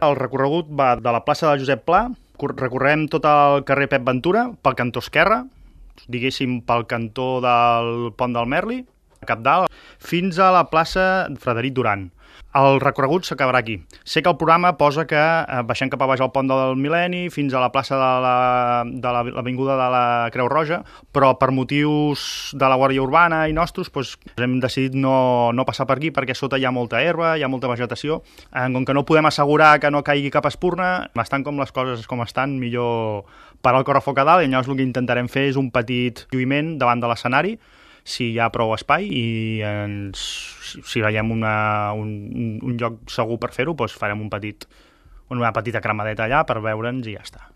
El recorregut va de la plaça de Josep Pla, recorrem tot el carrer Pep Ventura, pel cantó esquerre, diguéssim pel cantó del Pont del Merli, Cabdal, fins a la plaça Frederic Duran. El recorregut s'acabarà aquí. Sé que el programa posa que baixem cap a baix al pont del Mil·lenni fins a la plaça de l'avinguda de la Creu Roja, però per motius de la Guàrdia Urbana i nostres hem decidit no passar per aquí perquè sota hi ha molta herba, hi ha molta vegetació. Com que no podem assegurar que no caigui cap espurna, estan com les coses com estan, millor parar el correfoc a dalt, i llavors el que intentarem fer és un petit lluïment davant de l'escenari, si hi ha prou espai, i si veiem un lloc segur per fer-ho, farem una petita cremadeta allà per veure'ns i ja està.